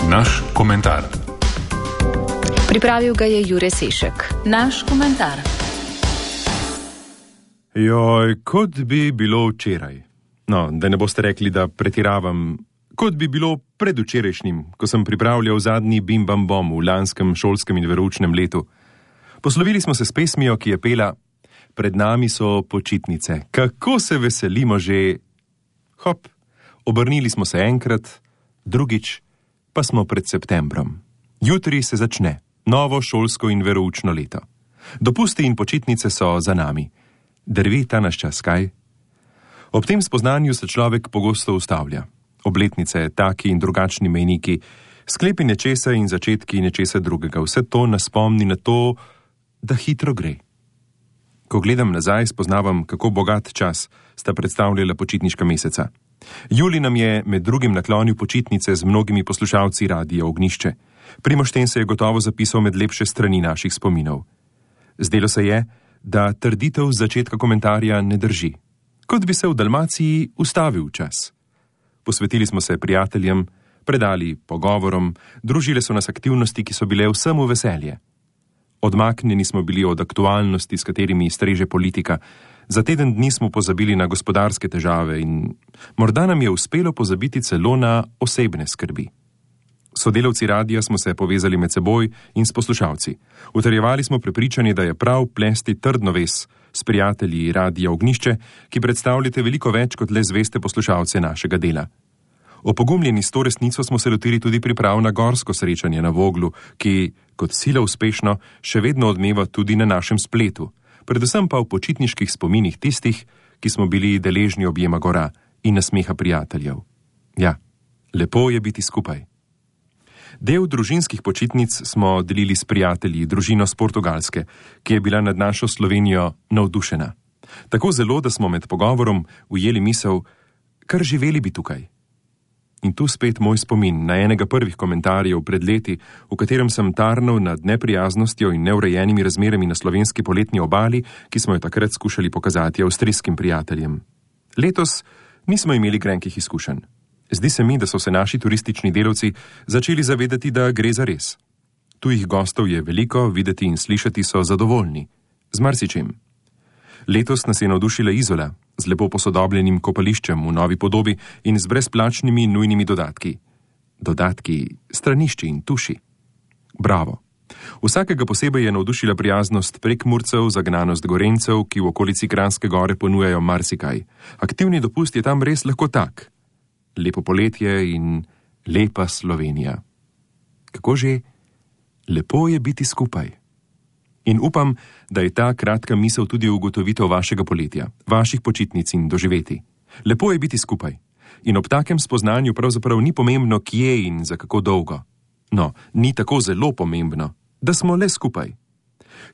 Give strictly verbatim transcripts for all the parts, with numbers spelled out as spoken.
Naš komentar. Pripravil ga je Jure Sešek. Naš komentar. Joj, kot bi bilo včeraj. No, da ne boste rekli, da pretiravam. Kot bi bilo predvčerajšnjim, ko sem pripravljal zadnji bim bam bom v lanskem šolskem in veroučnem letu. Poslovili smo se s pesmijo, ki je pela: Pred nami so počitnice. Kako se veselimo že. Hop, obrnili smo se enkrat, drugič pa smo pred septembrom. Jutri se začne novo šolsko in veroučno leto. Dopusti in počitnice so za nami. Drvi ta naš čas, kaj? Ob tem spoznanju se človek pogosto ustavlja. Obletnice, taki in drugačni mejniki, sklepi nečesa in začetki nečesa drugega. Vse to nas spomni na to, da hitro gre. Ko gledam nazaj, spoznavam, kako bogat čas sta predstavljala počitniška meseca. Julij nam je med drugim naklonil počitnice z mnogimi poslušalci Radia Ognjišče. Primož Ten se je gotovo zapisal med lepše strani naših spominov. Zdelo se je, da trditev z začetka komentarja ne drži. Kot bi se v Dalmaciji ustavil čas. Posvetili smo se prijateljem, predali pogovorom, družile so nas aktivnosti, ki so bile vsemu veselje. Odmaknjeni smo bili od aktualnosti, s katerimi streže politika. Za teden dni smo pozabili na gospodarske težave in morda nam je uspelo pozabiti celo na osebne skrbi. Sodelavci radia smo se povezali med seboj in s poslušalci. Utrjevali smo prepričanje, da je prav plesti trdno vez s prijatelji Radia Ognjišče, ki predstavljate veliko več kot le zveste poslušalce našega dela. Opogumljeni s to resnico smo se lotili tudi priprav na gorsko srečanje na Voglu, ki, kot sila uspešno, še vedno odmeva tudi na našem spletu, predvsem pa v počitniških spominih tistih, ki smo bili deležni objema gora in nasmeha prijateljev. Ja, lepo je biti skupaj. Del družinskih počitnic smo delili s prijatelji, družino z Portugalske, ki je bila nad našo Slovenijo navdušena. Tako zelo, da smo med pogovorom ujeli misel, kar živeli bi tukaj. In tu spet moj spomin na enega prvih komentarjev pred leti, v katerem sem tarnal nad neprijaznostjo in neurejenimi razmerami na slovenski poletni obali, ki smo jo takrat skušali pokazati avstrijskim prijateljem. Letos nismo imeli grenkih izkušenj. Zdi se mi, da so se naši turistični delavci začeli zavedati, da gre za res. Tujih gostov je veliko, videti in slišati so zadovoljni. Z marsičem. Letos nas je navdušila Izola, z lepo posodobljenim kopališčem v novi podobi in z brezplačnimi nujnimi dodatki. Dodatki, stranišči in tuši. Bravo. Vsakega posebej je navdušila prijaznost Prekmurcev, zagnanost Gorencev, ki v okolici Kranjske gore ponujajo marsikaj. Aktivni dopust je tam res lahko tak. Lepo poletje in lepa Slovenija. Kako že? Lepo je biti skupaj. In upam, da je ta kratka misel tudi ugotovitev vašega poletja, vaših počitnic in doživeti. Lepo je biti skupaj. In ob takem spoznanju pravzaprav ni pomembno, kje in za kako dolgo. No, ni tako zelo pomembno, da smo le skupaj.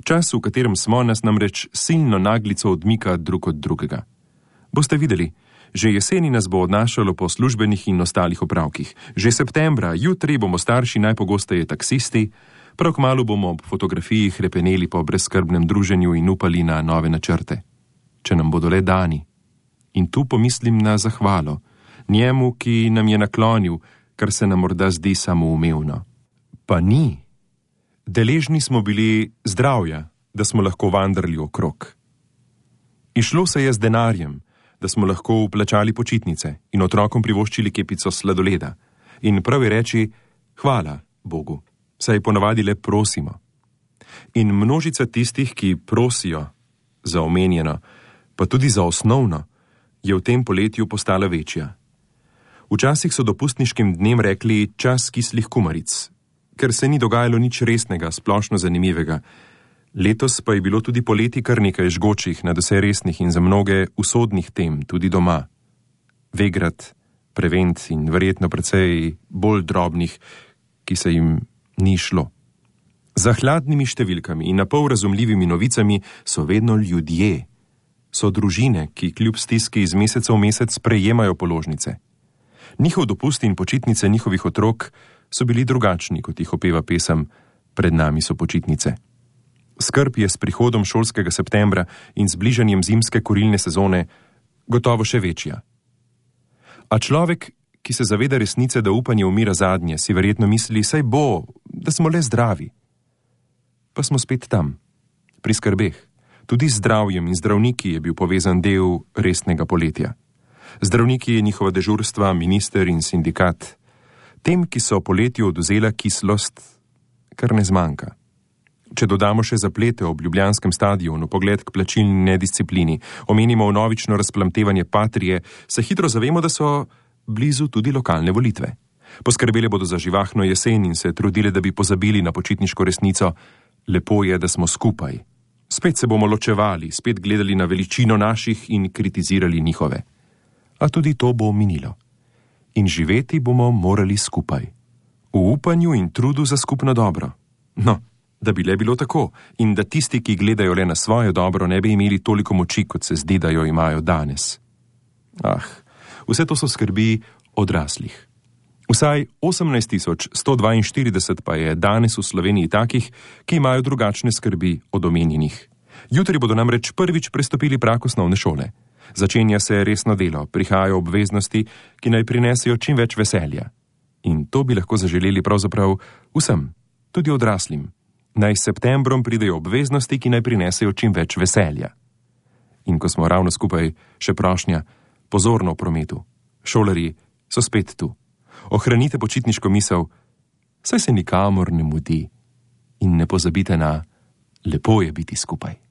Čas, v katerem smo, nas namreč silno naglico odmika drug od drugega. Boste videli, že jeseni nas bo odnašalo po službenih in ostalih opravkih. Že septembra, jutri bomo starši najpogosteje taksisti, prav kmalu bomo ob fotografiji hrepeneli po brezskrbnem druženju in upali na nove načrte. Če nam bodo le dani. In tu pomislim na zahvalo, njemu, ki nam je naklonil, kar se nam morda zdi samoumevno. Pa ni. Deležni smo bili zdravja, da smo lahko vandrali okrog. Išlo se je z denarjem, da smo lahko vplačali počitnice in otrokom privoščili kepico sladoleda. In prav je reči, hvala Bogu, saj ponavadi le prosimo. In množica tistih, ki prosijo za omenjeno, pa tudi za osnovno, je v tem poletju postala večja. Včasih so dopustniškim dnem rekli čas kislih kumaric, ker se ni dogajalo nič resnega, splošno zanimivega. Letos pa je bilo tudi poleti kar nekaj žgočih, nadvse resnih in za mnoge usodnih tem, tudi doma. Vegrad, Prevent in verjetno precej bolj drobnih, ki se jim ni šlo. Za hladnimi številkami in napol razumljivimi novicami so vedno ljudje. So družine, ki kljub stiski iz meseca v mesec prejemajo položnice. Njihov dopust in počitnice njihovih otrok so bili drugačni, kot jih opeva pesem Pred nami so počitnice. Skrb je s prihodom šolskega septembra in z bližanjem zimske kurilne sezone gotovo še večja. A človek, ki se zaveda resnice, da upanje umira zadnje, si verjetno misli, saj bo, da smo le zdravi. Pa smo spet tam, pri skrbeh. Tudi z zdravjem in zdravniki je bil povezan del resnega poletja. Zdravniki, njihova dežurstva, minister in sindikat. Tem, ki so poletju oduzela kislost, kar ne zmanjka. Če dodamo še zaplete ob ljubljanskem stadionu, pogled k plačilni nedisciplini, omenimo vnovično razplamtevanje Patrie, se hitro zavemo, da so blizu tudi lokalne volitve. Poskrbele bodo za živahno jesen in se trudile, da bi pozabili na počitniško resnico. Lepo je, da smo skupaj. Spet se bomo ločevali, spet gledali na veličino naših in kritizirali njihove. A tudi to bo minilo. In živeti bomo morali skupaj. V upanju in trudu za skupno dobro. No, da bi le bilo tako in da tisti, ki gledajo le na svoje dobro, ne bi imeli toliko moči, kot se zdi, da jo imajo danes. Ah, vse to so skrbi odraslih. Vsaj osemnajst tisoč sto dvainštirideset pa je danes v Sloveniji takih, ki imajo drugačne skrbi od omenjenih. Jutri bodo namreč prvič prestopili prag osnovne šole. Začenja se resno delo, prihajajo obveznosti, ki naj prinesejo čim več veselja. In to bi lahko zaželeli pravzaprav vsem, tudi odraslim. Naj s septembrom pridejo obveznosti, ki naj prinesejo čim več veselja. In ko smo ravno skupaj, še prošnja, pozorno v prometu. Šolarji so spet tu. Ohranite počitniško misel, saj se nikamor ne mudi. In ne pozabite na lepo je biti skupaj.